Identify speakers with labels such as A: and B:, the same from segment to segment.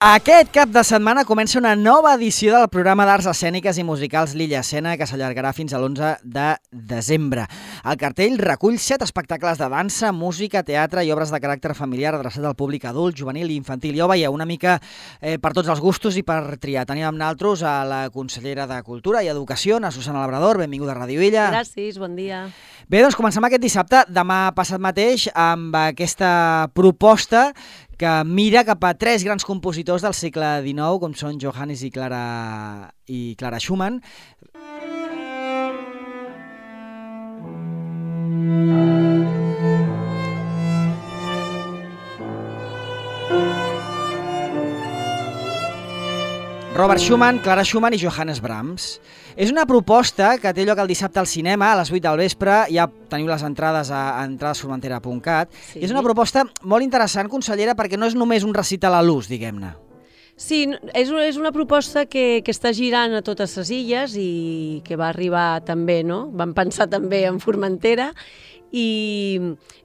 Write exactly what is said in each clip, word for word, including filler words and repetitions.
A: Aquest cap de setmana comença una nova edició del programa d'arts escèniques i musicals Lilla Escena, que s'allargarà fins a l'onze de desembre. El cartell recull set espectacles de dansa, música, teatre i obres de caràcter familiar adreçat al públic adult, juvenil i infantil. Ja ho veieu, una mica eh, per tots els gustos i per triar. Tenim amb nosaltres a la consellera de Cultura i Educació, a Susana Labrador. Benvinguda a Ràdio Illa.
B: Gràcies, bon dia.
A: Bé, doncs comencem aquest dissabte, demà passat mateix, amb aquesta proposta que mira cap a tres grans compositors del segle dinou, com són Johannes i Clara, i Clara Schumann. Robert Schumann, Clara Schumann i Johannes Brahms. És una proposta que té lloc el dissabte al cinema, a les vuit del vespre. Ja teniu les entrades a entradesformentera punt cat. Sí. És una proposta molt interessant, consellera, perquè no és només un recital a l'ús, diguem-ne.
B: Sí, és una, és una proposta que, que està girant a totes les illes i que va arribar també, no? Vam pensar també en Formentera. I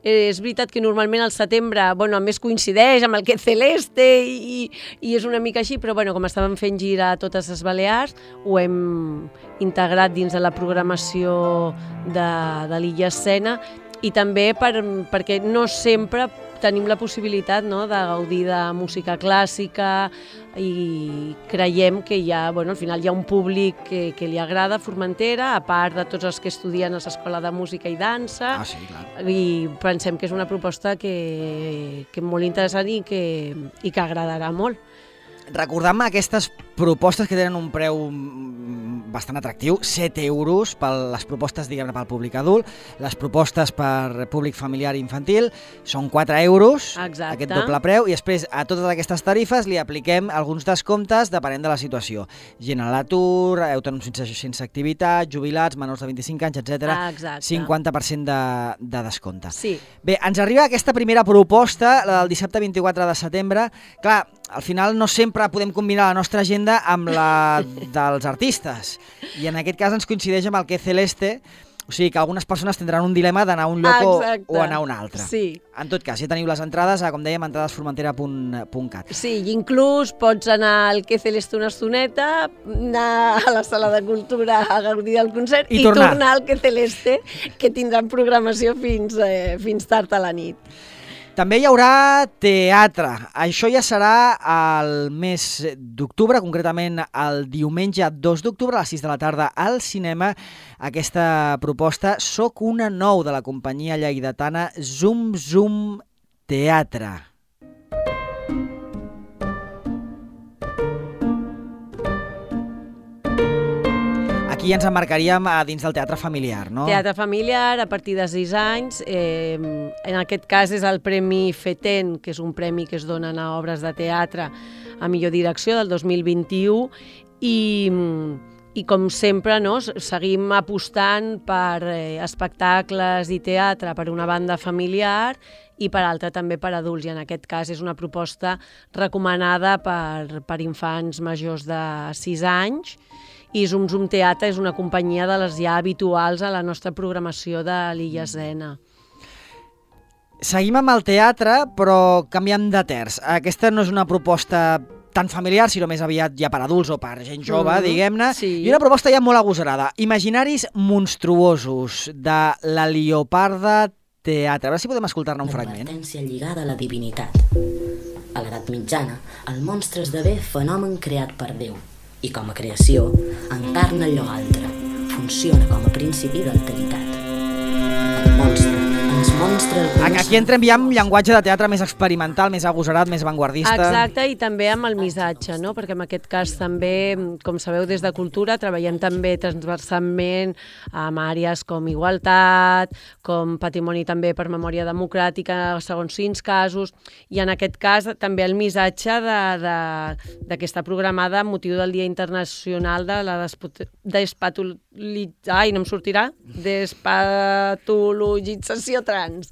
B: és veritat que normalment al setembre, bueno, a més coincideix amb el que Celeste i, i és una mica així, però bueno, com estàvem fent gira a totes les Balears, ho hem integrat dins de la programació de, de l'Illa Escena i també per, perquè no sempre tenim la possibilitat, no, de gaudir de música clàssica i creiem que hi ha, bueno, al final hi ha un públic que, que li agrada Formentera, a part de tots els que estudien a l'Escola de Música i Dansa.
A: Ah, sí, clar.
B: I pensem que és una proposta que, que és molt interessant i que, i que agradarà molt.
A: Recordant-me aquestes propostes que tenen un preu bastant atractiu, set euros per les propostes, diguem-ne, pel públic adult, les propostes per públic familiar i infantil són quatre euros. Exacte. Aquest doble preu, i després a totes aquestes tarifes li apliquem alguns descomptes depenent de la situació. Gent a l'atur, autònoms sense, sense activitat, jubilats, menors de vint-i-cinc anys, etcètera.
B: Exacte.
A: cinquanta per cent de, de descompte.
B: Sí.
A: Bé, ens arriba aquesta primera proposta, la del dissabte vint-i-quatre de setembre. Clar, al final no sempre podem combinar la nostra agenda amb la dels artistes. I en aquest cas ens coincideix amb el que Celeste, o sigui que algunes persones tindran un dilema d'anar a un lloc Exacte. o anar a un altre.
B: Sí.
A: En tot cas, ja teniu les entrades a, com dèiem, entradesformentera punt cat.
B: Sí, i inclús pots anar al que Celeste una estoneta, anar a la sala de cultura a gaudir del concert i, i tornar. tornar al que Celeste, que tindran programació fins, eh, fins tard a la nit.
A: També hi haurà teatre. Això ja serà el mes d'octubre, concretament el diumenge dos d'octubre a les sis de la tarda al cinema. Aquesta proposta Soc una nou de la companyia lleidatana Zum Zum Teatre. Aquí ens emmarcaríem a dins del teatre familiar, no?
B: Teatre familiar, a partir de sis anys. Eh, en aquest cas és el Premi FETEN, que és un premi que es donen a obres de teatre a millor direcció del dos mil vint-i-u, i, i com sempre, no, seguim apostant per eh, espectacles i teatre per una banda familiar i per altra també per adults, i en aquest cas és una proposta recomanada per, per infants majors de sis anys, i Zum Zum Teatre és una companyia de les ja habituals a la nostra programació de l'Illa Escena.
A: Seguim amb el teatre, però canviem de terç. Aquesta no és una proposta tan familiar, sinó més aviat ja per adults o per gent jove, mm-hmm. diguem-ne, sí. I una proposta ja molt agosarada. Imaginaris monstruosos, de la Lloparda Teatre. A veure si podem escoltar-ne un fragment.
C: L'advertència lligada a la divinitat. A l'edat mitjana, el monstre esdevé fenomen creat per Déu. I com a creació, encarna allò altre, funciona com a principi d'alteritat. El monstre, ens monstre... El
A: Aquí entrem ja amb llenguatge de teatre més experimental, més agosarat, més vanguardista.
B: Exacte, i també amb el missatge, no? Perquè en aquest cas també, com sabeu, des de Cultura treballem també transversalment amb àrees com igualtat, com patrimoni també per memòria democràtica, segons quins casos, i en aquest cas també el missatge de, de, de que està programada amb motiu del Dia Internacional de la despatologització, ai, no em sortirà, despatologització trans.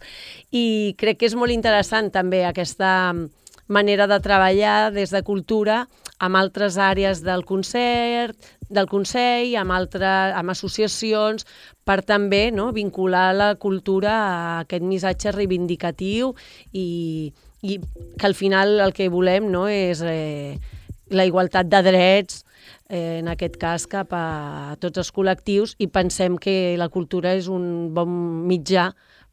B: I crec que és molt interessant també aquesta manera de treballar des de Cultura amb altres àrees del concert, del Consell, amb, altre, amb associacions, per també, no, vincular la cultura a aquest missatge reivindicatiu i, i que al final el que volem, no, és eh, la igualtat de drets, eh, en aquest cas cap a tots els col·lectius, i pensem que la cultura és un bon mitjà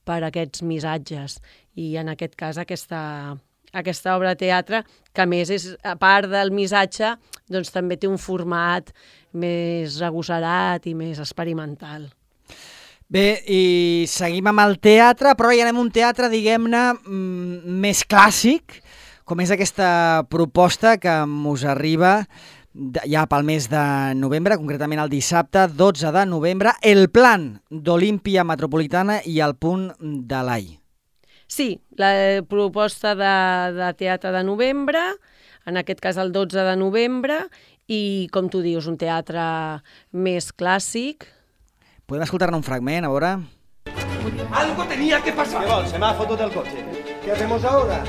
B: per a aquests missatges. I en aquest cas aquesta, aquesta obra de teatre, que a més és, a part del missatge, doncs també té un format més agosserat i més experimental.
A: Bé, i seguim amb el teatre, però ja anem a un teatre, diguem-ne, més clàssic, com és aquesta proposta que us arriba ja pel mes de novembre, concretament el dissabte dotze de novembre, El Plan d'Olímpia Metropolitana i el Punt de l'Ai.
B: Sí, la proposta de, de teatre de novembre, en aquest cas el dotze de novembre, i com tu dius, un teatre més clàssic.
A: Podem escoltar-ne un fragment, a veure?
D: Algo tenía que pasar.
E: ¿Qué va? Se me ha foto del coche. ¿Qué hacemos ahora?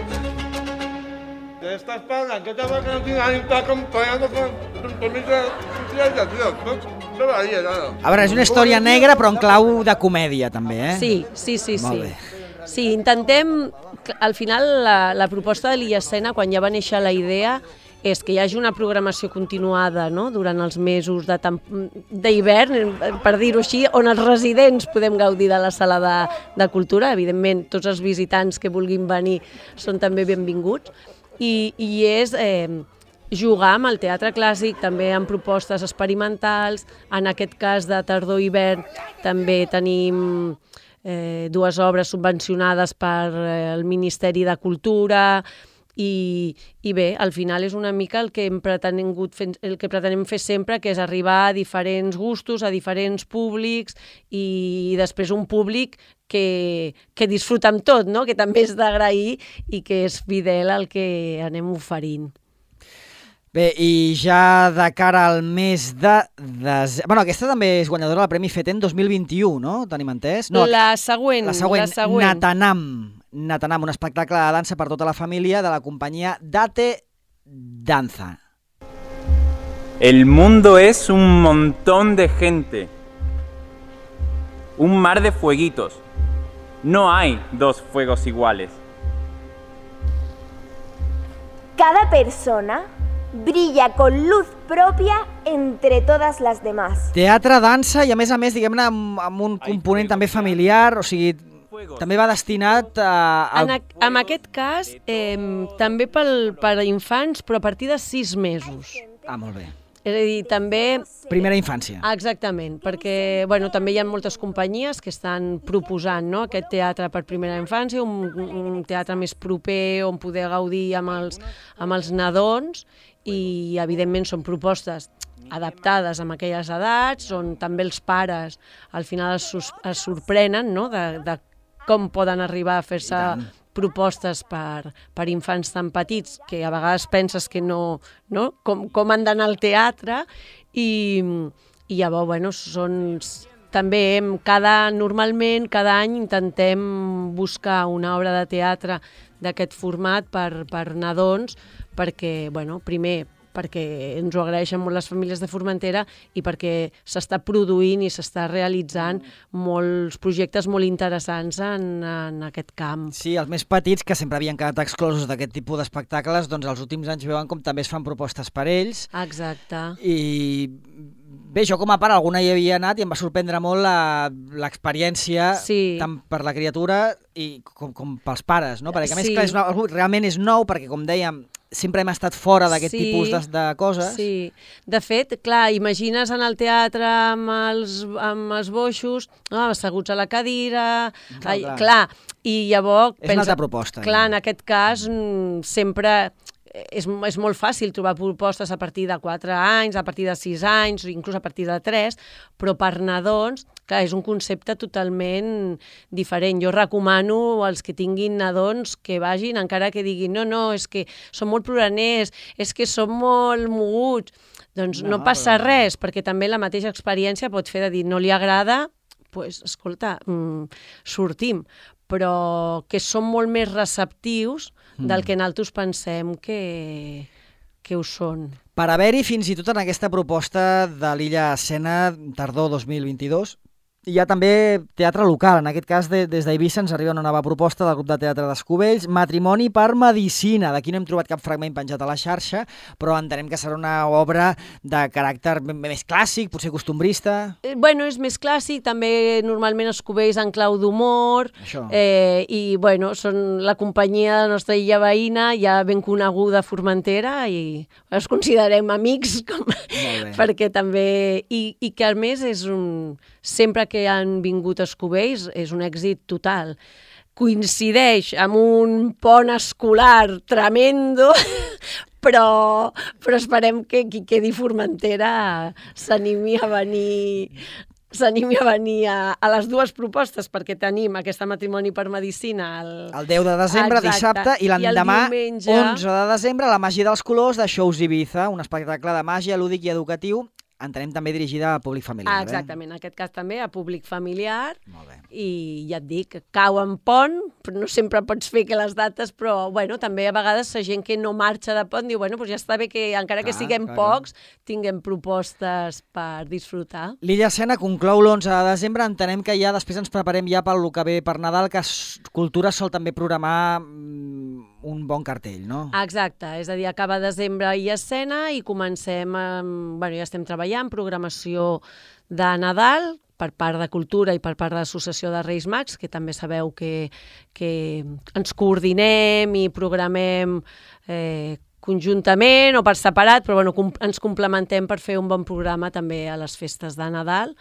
D: ¿Qué estás pagando? ¿Qué te va a que no tienes alguien que está acompañando con permiso de socialización? No, no varia nada.
A: A veure, és una història negra, però en clau de comèdia, també, eh?
B: Sí, sí, sí.
A: Molt
B: sí.
A: bé.
B: Sí, intentem... Al final, la, la proposta de l'Illa Escena, quan ja va néixer la idea, és que hi hagi una programació continuada, no?, durant els mesos d'hivern, per dir-ho així, on els residents podem gaudir de la sala de, de cultura. Evidentment, tots els visitants que vulguin venir són també benvinguts. I, i és eh, jugar amb el teatre clàssic, també amb propostes experimentals. En aquest cas de tardor-hivern també tenim eh, dues obres subvencionades per eh, el Ministeri de Cultura. I, i bé, al final és una mica el que hem pretengut fer, el que pretenem fer sempre, que és arribar a diferents gustos, a diferents públics, i després un públic que, que disfruta amb tot, no?, que també és d'agrair i que és fidel al que anem oferint.
A: Bé, i ja de cara al mes de... Des... Bueno, aquesta també és guanyadora del Premi FETEN dos mil vint-i-u, no? Tenim entès? No,
B: la següent.
A: La següent,
B: la següent.
A: Natanam. Natanam, un espectacle de dansa per tota la família de la companyia Date Danza.
F: El mundo es un montón de gente. Un mar de fueguitos. No hay dos fuegos iguales.
G: Cada persona brilla con luz propia entre todas las demás.
A: Teatre, dansa i a més a més, diguem-ne, amb, amb un component també familiar, o sigui, també va destinat a... a...
B: En, a, en aquest cas, eh, també pel, per a infants, però a partir de sis mesos.
A: Ah, molt bé.
B: És a dir, també...
A: Primera infància.
B: Exactament, perquè bueno, també hi ha moltes companyies que estan proposant, no?, aquest teatre per primera infància, un, un teatre més proper on poder gaudir amb els, amb els nadons, i evidentment són propostes adaptades a aquelles edats, on també els pares al final es, es sorprenen, no?, de, de com poden arribar a fer-se propostes per, per infants tan petits que a vegades penses que no, no? Com, com han d'anar al teatre, i, i llavors, bueno, són... També hem, cada, normalment, cada any intentem buscar una obra de teatre d'aquest format per, per nadons, perquè, bueno, primer, perquè ens ho agraeixen molt les famílies de Formentera i perquè s'està produint i s'està realitzant molts projectes molt interessants en, en aquest camp.
A: Sí, els més petits, que sempre havien quedat exclosos d'aquest tipus d'espectacles, doncs els últims anys veuen com també es fan propostes per ells.
B: Exacte.
A: I bé, jo com a pare alguna hi havia anat i em va sorprendre molt l'experiència,
B: sí,
A: tant per la criatura i com, com pels pares, no? Perquè a més,
B: sí,
A: clar, és una, realment és nou, perquè com dèiem, sempre hem estat fora d'aquest
B: sí,
A: tipus de, de coses.
B: Sí, de fet, clar, imagines en el teatre amb els, amb els boixos, no, asseguts a la cadira, clar, ai, clar. clar i llavors...
A: És pensa, una altra proposta.
B: Clar, ja. En aquest cas, sempre... És, és molt fàcil trobar propostes a partir de quatre anys, a partir de sis anys, inclús a partir de tres, però per nadons, clar, és un concepte totalment diferent. Jo recomano als que tinguin nadons que vagin, encara que diguin no, no, és que són molt ploraners, és que són molt moguts. Doncs no, no passa però... res, perquè també la mateixa experiència pot fer de dir no li agrada, doncs, pues, escolta, mm, sortim, però que són molt més receptius del que nosaltres pensem que, que ho són.
A: Per haver-hi fins i tot en aquesta proposta de l'Illa Escena tardor dos mil vint-i-dos, Hi ha també teatre local, en aquest cas de, des d'Eivissa ens arriba una nova proposta del grup de teatre d'Escubells, Matrimoni per Medicina. D'aquí no hem trobat cap fragment penjat a la xarxa, però entenem que serà una obra de caràcter més clàssic, potser costumbrista.
B: Eh, bueno, és més clàssic, també normalment Escubells en clau d'humor, eh, i bueno, són la companyia de la nostra illa veïna, ja ben coneguda a Formentera, i els considerem amics, com, perquè també... I, i que a més és un... Sempre que han vingut a Escubells és un èxit total. Coincideix amb un pont escolar tremendo, però, però esperem que qui quedi Formentera s'animi a venir... s'animi a venir a, a les dues propostes, perquè tenim aquesta Matrimoni per Medicina el,
A: el deu de desembre, exacte, dissabte, i l'endemà, diumenge... onze de desembre, la Màgia dels Colors de Shows Ibiza, un espectacle de màgia lúdic i educatiu, entenem també dirigida a públic familiar.
B: Ah, exactament,
A: eh?
B: en aquest cas també a públic familiar.
A: Molt bé.
B: I ja et dic, cau en pont, però no sempre pots fer que les dates, però bueno, també a vegades la gent que no marxa de pont diu, bueno, doncs ja està bé que encara clar, que siguem clar, pocs, clar. tinguem propostes per disfrutar.
A: L'Illa Escena conclou l'onze de desembre, entenem que ja després ens preparem ja pel que ve per Nadal, que Cultura sol també programar un bon cartell, no?
B: Exacte, és a dir, acaba desembre Illa Escena i comencem, amb, bueno, ja estem treballant en programació de Nadal per part de Cultura i per part de l'Associació de Reis Mags, que també sabeu que, que ens coordinem i programem eh, conjuntament o per separat, però bueno, com, ens complementem per fer un bon programa també a les festes de Nadal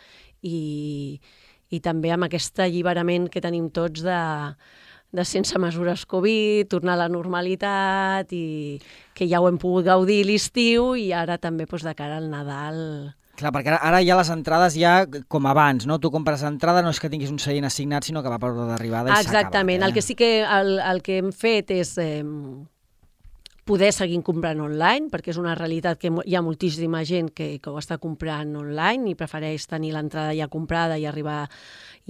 B: i, i també amb aquest alliberament que tenim tots de, de sense mesures Covid, tornar a la normalitat i que ja ho hem pogut gaudir l'estiu i ara també doncs, de cara al Nadal.
A: Clar, perquè ara, ara ja les entrades ja com abans, no? Tu compres entrada, no és que tinguis un seient assignat, sinó que va per ordre d'arribada i s'ha acabat.
B: Exactament, eh? El que sí que el, el que hem fet és eh, poder seguir comprant online, perquè és una realitat que hi ha moltíssima gent que, que ho està comprant online i prefereix tenir l'entrada ja comprada i arribar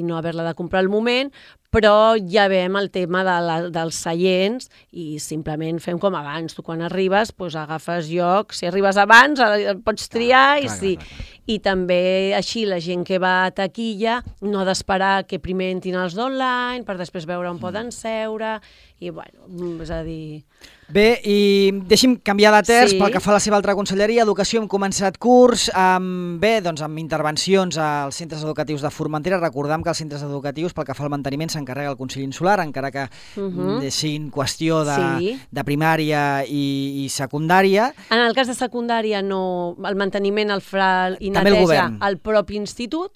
B: i no haver-la de comprar al moment, però ja veiem el tema de la, dels seients i simplement fem com abans. Tu quan arribes doncs agafes lloc, si arribes abans pots triar, clar, i, clar, sí. clar, clar. I també així la gent que va a taquilla no ha d'esperar que primer entrin els d'online per després veure on mm. poden seure i bueno, és a dir...
A: Bé, i deixi'm canviar de terç, sí. Pel que fa a la seva altra conselleria, Educació, hem començat curs, amb, bé, doncs amb intervencions als centres educatius de Formentera. Recordem que els centres educatius, pel que fa al manteniment, s'encarrega el Consell Insular, encara que uh -huh. siguin qüestió de, sí. de primària i, i secundària.
B: En el cas de secundària, no, el manteniment el fa i neteja el, el propi institut,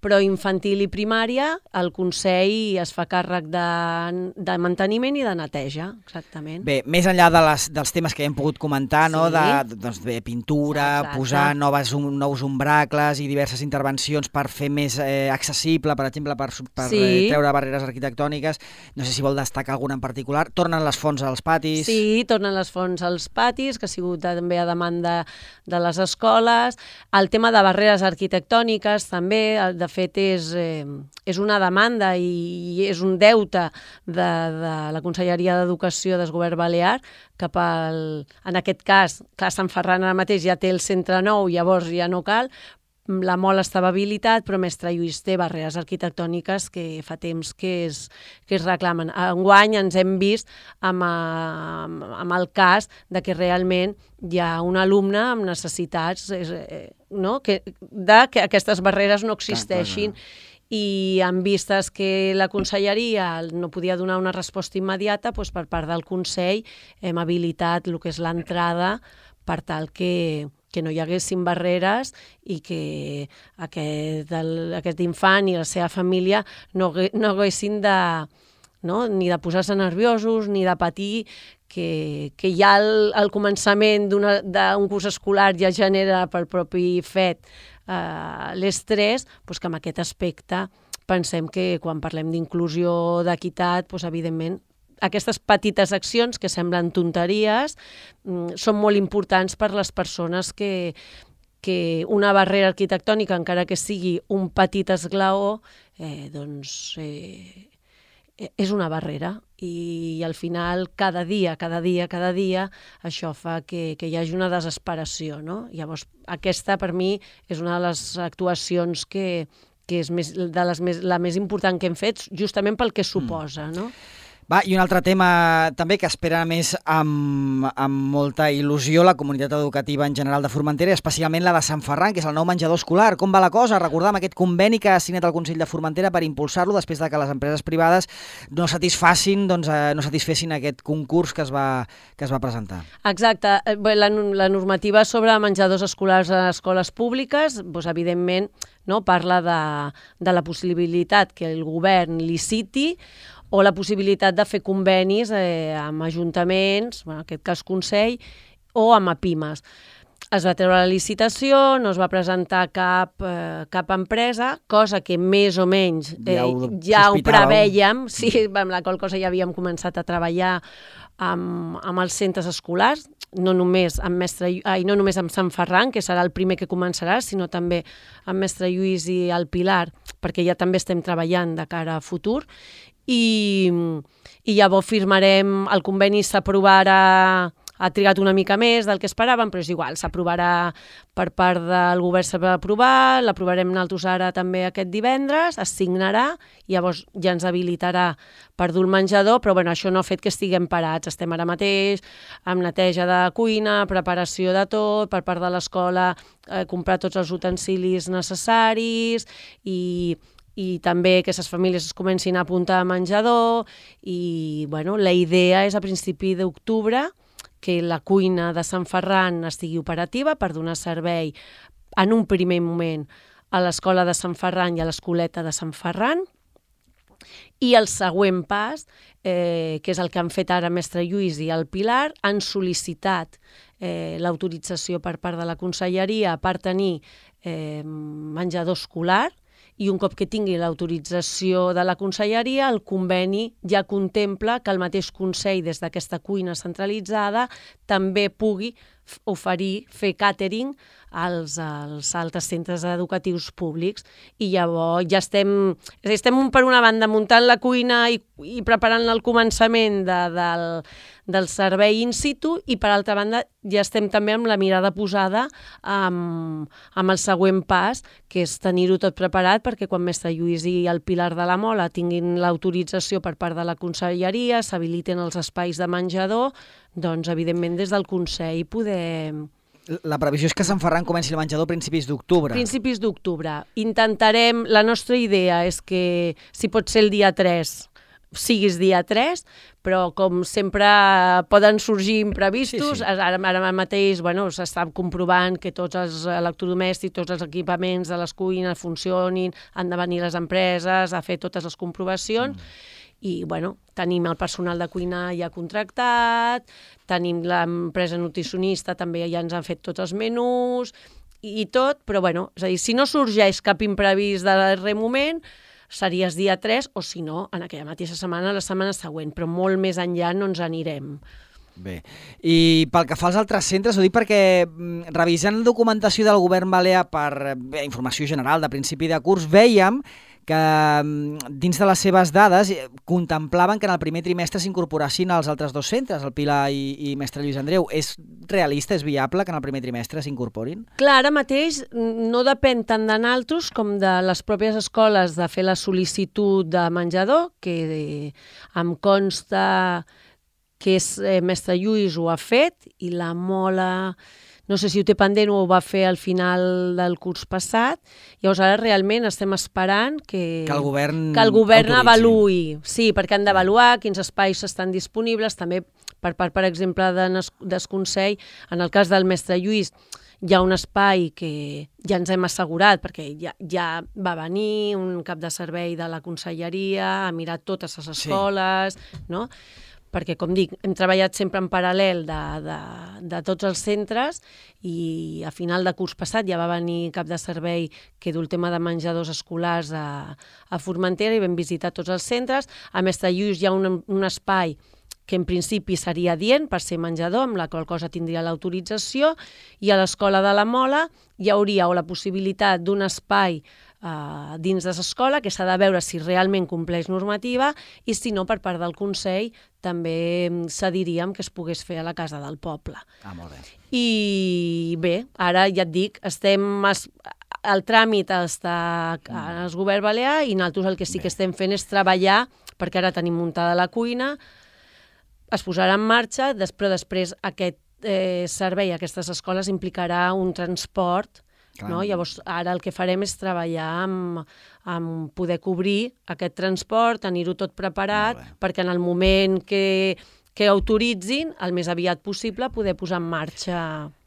B: però infantil i primària, el Consell es fa càrrec de, de manteniment i de neteja, exactament.
A: Bé, més enllà de les, dels temes que hem pogut comentar, sí. no? de, doncs, de pintura, exacte. Posar noves, um, nous umbracles i diverses intervencions per fer més eh, accessible, per exemple, per, per sí. eh, treure barreres arquitectòniques. No sé si vol destacar alguna en particular. Tornen les fonts als patis?
B: Sí, tornen les fonts als patis, que ha sigut també a demanda de les escoles. El tema de barreres arquitectòniques també, de fet és, eh, és una demanda i és un deute de, de la Conselleria d'Educació del Govern Balear cap al, en aquest cas, clar, Sant Ferran ara mateix ja té el centre nou, llavors ja no cal, la Mol estava habilitat, però Mestre Lluís té barreres arquitectòniques que fa temps que es, que es reclamen. Enguany ens hem vist amb, amb, amb el cas de que realment hi ha un alumne amb necessitats eh, no? que, de que aquestes barreres no existeixin. Clar, clar, clar. I en vistes que la conselleria no podia donar una resposta immediata, doncs per part del Consell hem habilitat el que és l'entrada per tal que que no hi haguessin barreres i que aquest, el, aquest infant i la seva família no, no haguessin de, no? ni de posar-se nerviosos ni de patir, que, que ja al, al començament d'un curs escolar ja genera pel propi fet eh, l'estrès, doncs que en aquest aspecte pensem que quan parlem d'inclusió, d'equitat, doncs evidentment aquestes petites accions que semblen tonteries són molt importants per les persones que, que una barrera arquitectònica, encara que sigui un petit esglaó, eh, doncs eh, és una barrera i al final cada dia, cada dia, cada dia això fa que, que hi hagi una desesperació, no? Llavors aquesta per mi és una de les actuacions que que és més, de les més, la més important que hem fet, justament pel que suposa, no?
A: Va, i un altre tema també que espera més amb, amb molta il·lusió la comunitat educativa en general de Formentera, especialment la de Sant Ferran, que és el nou menjador escolar. Com va la cosa? Recordam aquest conveni que ha signat el Consell de Formentera per impulsar-lo després de que les empreses privades no satisfacin, doncs, eh, no satisfessin aquest concurs que es va, que es va presentar.
B: Exacte. Bé, la, la normativa sobre menjadors escolars a escoles públiques, doncs, evidentment, no, parla de, de la possibilitat que el govern liciti o la possibilitat de fer convenis eh, amb ajuntaments, en aquest cas Consell, o amb APIMES. Es va treure la licitació, no es va presentar cap, eh, cap empresa, cosa que més o menys eh, ja ho, ja ho prevèiem, sí, amb la qual cosa ja havíem començat a treballar amb, amb els centres escolars, no només amb Mestre, ai, no només amb Sant Ferran, que serà el primer que començarà, sinó també amb Mestre Lluís i el Pilar, perquè ja també estem treballant de cara a futur, i, i llavors firmarem, el conveni s'aprovarà, ha trigat una mica més del que esperàvem, però és igual, s'aprovarà per part del govern, s'ha d'aprovar, l'aprovarem nosaltres ara també aquest divendres, es signarà, i llavors ja ens habilitarà per dur el menjador, però bueno, això no ha fet que estiguem parats, estem ara mateix amb neteja de cuina, preparació de tot, per part de l'escola, eh, comprar tots els utensilis necessaris, i i també que les famílies es comencin a apuntar a menjador, i bueno, la idea és a principi d'octubre que la cuina de Sant Ferran estigui operativa per donar servei en un primer moment a l'escola de Sant Ferran i a l'escoleta de Sant Ferran, i el següent pas, eh, que és el que han fet ara Mestre Lluís i el Pilar, han sol·licitat eh, l'autorització per part de la Conselleria per tenir eh, menjador escolar, i un cop que tingui l'autorització de la Conselleria, el conveni ja contempla que el mateix Consell, des d'aquesta cuina centralitzada, també pugui oferir, fer càtering als, als altres centres educatius públics. I llavors ja estem, estem per una banda muntant la cuina i, i preparant el començament de, del, del servei in situ, i per altra banda ja estem també amb la mirada posada amb, amb el següent pas, que és tenir-ho tot preparat perquè quan Mestre Lluís i el Pilar de la Mola tinguin l'autorització per part de la Conselleria, s'habiliten els espais de menjador, doncs evidentment des del Consell podem...
A: La previsió és que Sant Ferran comenci el menjador a principis d'octubre.
B: Principis d'octubre. Intentarem, la nostra idea és que si pot ser el dia tres, siguis dia tres, però com sempre poden sorgir imprevistos, sí, sí. Ara, ara mateix bueno, s'està comprovant que tots els electrodomèstics, tots els equipaments de les cuines funcionin, han de venir les empreses a fer totes les comprovacions, mm. i bueno, tenim el personal de cuina ja contractat, tenim l'empresa nutricionista, també ja ens han fet tots els menús i tot, però bueno, és a dir, si no sorgeix cap imprevist de darrer moment, series dia tres, o si no, en aquella mateixa setmana, la setmana següent, però molt més enllà no ens anirem.
A: Bé, i pel que fa als altres centres, ho dic perquè revisant la documentació del govern balear per bé, informació general de principi de curs, vèiem que dins de les seves dades contemplaven que en el primer trimestre s'incorporassin els altres dos centres, el Pilar i, i Mestre Lluís Andreu. És realista, és viable que en el primer trimestre s'incorporin?
B: Clar, ara mateix no depèn tant de naltros com de les pròpies escoles de fer la sol·licitud de menjador, que em consta que és, eh, Mestre Lluís ho ha fet, i la Mola... no sé si ho té pendent o ho va fer al final del curs passat. Llavors ara realment estem esperant que,
A: que el govern,
B: que el govern avaluï. Sí, perquè han d'avaluar quins espais estan disponibles, també per part, per exemple, de Desconsell. En el cas del Mestre Lluís hi ha un espai que ja ens hem assegurat, perquè ja, ja va venir un cap de servei de la Conselleria, ha mirat totes les escoles, sí. no? Perquè, com dic, hem treballat sempre en paral·lel de, de, de tots els centres, i a final de curs passat ja va venir cap de servei que du el tema de menjadors escolars a, a Formentera, i vam visitar tots els centres. A Mestre Lluís hi ha un, un espai que en principi seria adient per ser menjador, amb la qual cosa tindria l'autorització, i a l'Escola de la Mola hi hauria o la possibilitat d'un espai Uh, dins de l'escola, que s'ha de veure si realment compleix normativa, i si no, per part del Consell també cediríem que es pogués fer a la Casa del Poble.
A: Ah, molt bé.
B: I bé, ara ja et dic, estem es, el tràmit està al govern balear i nosaltres el que sí que estem fent és treballar, perquè ara tenim muntada la cuina, es posarà en marxa, però després aquest eh, servei, aquestes escoles, implicarà un transport. No? Llavors, ara el que farem és treballar amb, amb poder cobrir aquest transport, tenir-ho tot preparat, perquè en el moment que, que autoritzin, el més aviat possible, poder posar en marxa...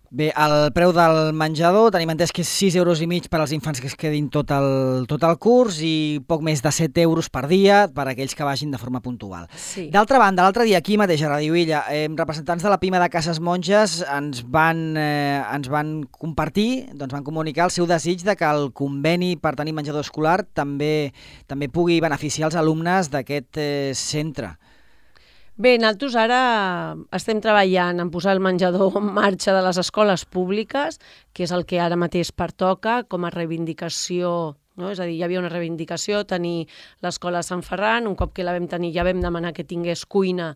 A: Bé, el preu del menjador tenim entès que és sis euros i mig per als infants que es quedin tot el, tot el curs i poc més de set euros per dia per a aquells que vagin de forma puntual.
B: Sí.
A: D'altra banda, l'altre dia aquí mateix a Radio Illa, eh, representants de la Pima de Cases Monges ens van, eh, ens van compartir, doncs van comunicar el seu desig de que el conveni per tenir menjador escolar també, també pugui beneficiar els alumnes d'aquest eh, centre.
B: Bé, nosaltres ara estem treballant en posar el menjador en marxa de les escoles públiques, que és el que ara mateix pertoca com a reivindicació, no? És a dir, hi havia una reivindicació, tenir l'escola de Sant Ferran, un cop que la vam tenir ja vam demanar que tingués cuina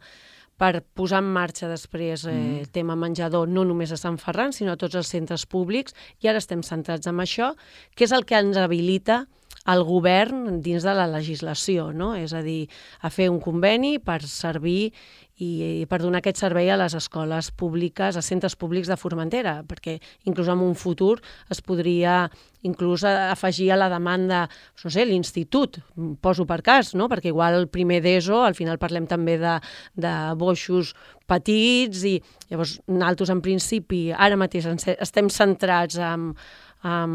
B: per posar en marxa després eh, el tema menjador, no només a Sant Ferran, sinó a tots els centres públics, i ara estem centrats en això, que és el que ens habilita el govern dins de la legislació, no? És a dir, a fer un conveni per servir i, i per donar aquest servei a les escoles públiques, a centres públics de Formentera, perquè inclús en un futur es podria inclús afegir a la demanda, no sé, l'institut, poso per cas, no? Perquè igual el primer d'ESO, al final parlem també de, de boixos petits, i llavors nosaltres en principi ara mateix estem centrats en, en,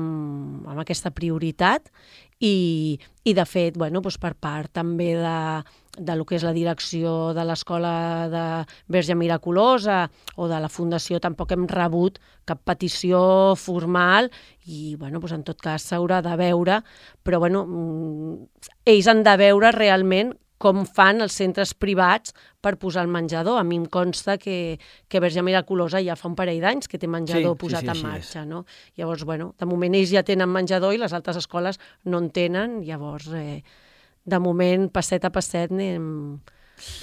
B: en aquesta prioritat, I, i de fet, bueno, doncs per part també de, de lo que és la direcció de l'Escola de Verge Miraculosa o de la Fundació, tampoc hem rebut cap petició formal i, bueno, doncs en tot cas s'haurà de veure, però bueno, ells han de veure realment com fan els centres privats per posar el menjador. A mi em consta que, que Verge Miraculosa ja fa un parell d'anys que té menjador sí, posat sí, sí, en marxa. No? Llavors, bueno, de moment ells ja tenen menjador i les altres escoles no en tenen. Llavors, eh, de moment, passet a passet, anem,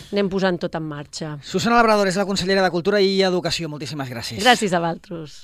B: anem posant tot en marxa.
A: Susana Labrador és la consellera de Cultura i Educació. Moltíssimes gràcies.
B: Gràcies a vosaltres.